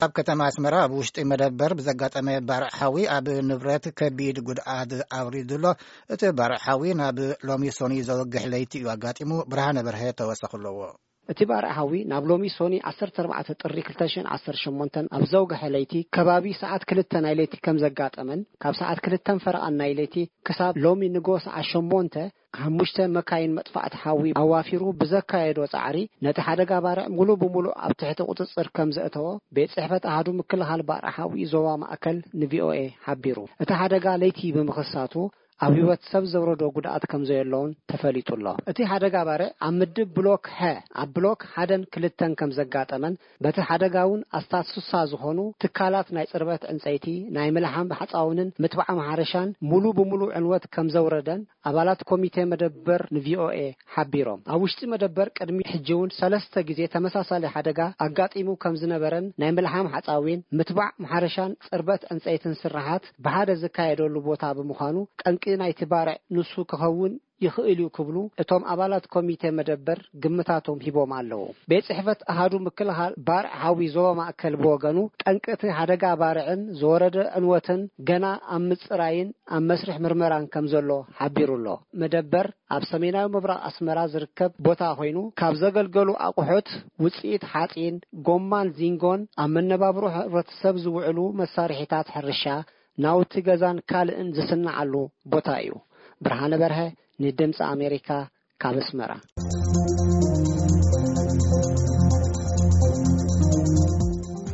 ኣብ ከተማ ኣስመራ ኣብ ውሽጢ መደበር ብዘጋጠመ ባርዕ ሓዊ ኣብ ንብረት ከቢድ ጉድኣት ኣውሪዱ ኣሎ። እቲ ባርዕ ሓዊ ናብ ሎሚ ሶኒ ዘወግሕ ለይቲ እዩ ኣጋጢሙ። ብርሃነ በርሀ ተወሰኽ ኣለዎ። እቲ ባርዕ ሓዊ ናብ ሎሚ ሶኒ ዓሰርተ ኣርባዕተ ጥሪ ክልተ ሽሕን ዓሰርተ ሸሞንተን ኣብ ዘውግሐ ለይቲ ከባቢ ሰዓት ክልተ ናይ ለይቲ ከም ዘጋጠመን ካብ ሰዓት ክልተን ፈረቓን ናይ ለይቲ ክሳብ ሎሚ ንጎ ሰዓት ሸሞንተ ሓሙሽተ መካይን መጥፋእቲ ሓዊ ኣዋፊሩ ብዘካየዶ ጻዕሪ ነቲ ሓደጋ ባርዕ ሙሉ ብሙሉ ኣብ ትሕቲ ቁጽጽር ከም ዘእተዎ ቤት ጽሕፈት ኣሃዱ ምክልኻል ባርዕ ሓዊ ዞባ ማእከል ንቪኦኤ ሓቢሩ። እቲ ሓደጋ ለይቲ ብምኽሳቱ ኣብ ህይወት ሰብ ዘውረዶ ጉድኣት ከም ዘየለውን ተፈሊጡ ኣሎ። እቲ ሓደጋ ባርዕ ኣብ ምድብ ብሎክ ሀ ኣብ ብሎክ ሓደን ክልተን ከም ዘጋጠመን በቲ ሓደጋ እውን ኣስታት ስሳ ዝኾኑ ትካላት ናይ ጽርበት ዕንጸይቲ፣ ናይ ምልሓም ሓጻውንን ምትባዕ ማሕረሻን ሙሉ ብሙሉ ዕንወት ከም ዘውረደን ኣባላት ኮሚቴ መደበር ንቪኦኤ ሓቢሮም። ኣብ ውሽጢ መደበር ቅድሚ ሕጂ እውን ሰለስተ ግዜ ተመሳሳሊ ሓደጋ ኣጋጢሙ ከም ዝነበረን ናይ ምልሓም ሓጻዊን ምትባዕ ማሕረሻን ጽርበት ዕንጸይትን ስራሓት ብሓደ ዝካየደሉ ቦታ ብምዃኑ ጠንቂ ናይቲ ባርዕ ንሱ ክኸውን ይኽእል እዩ ክብሉ እቶም ኣባላት ኮሚቴ መደበር ግምታቶም ሂቦም ኣለዉ። ቤት ጽሕፈት ኣሃዱ ምክልኻል ባርዕ ሓዊ ዞባ ማእከል ብወገኑ ጠንቂ እቲ ሓደጋ ባርዕን ዝወረደ ዕንወትን ገና ኣብ ምጽራይን ኣብ መስርሕ ምርመራን ከም ዘሎ ሓቢሩ ኣሎ። መደበር ኣብ ሰሜናዊ ምብራቕ ኣስመራ ዝርከብ ቦታ ኮይኑ ካብ ዘገልገሉ ኣቑሑት ውጽኢት ሓጺን፣ ጎማን ዚንጎን ኣብ መነባብሮ ሕብረተሰብ ዝውዕሉ መሳርሒታት ሕርሻ፣ ናውቲ ገዛን ካልእን ዝስነዓሉ ቦታ እዩ። ብርሃነ በርሀ ንድምፂ ኣሜሪካ ካብ ኣስመራ።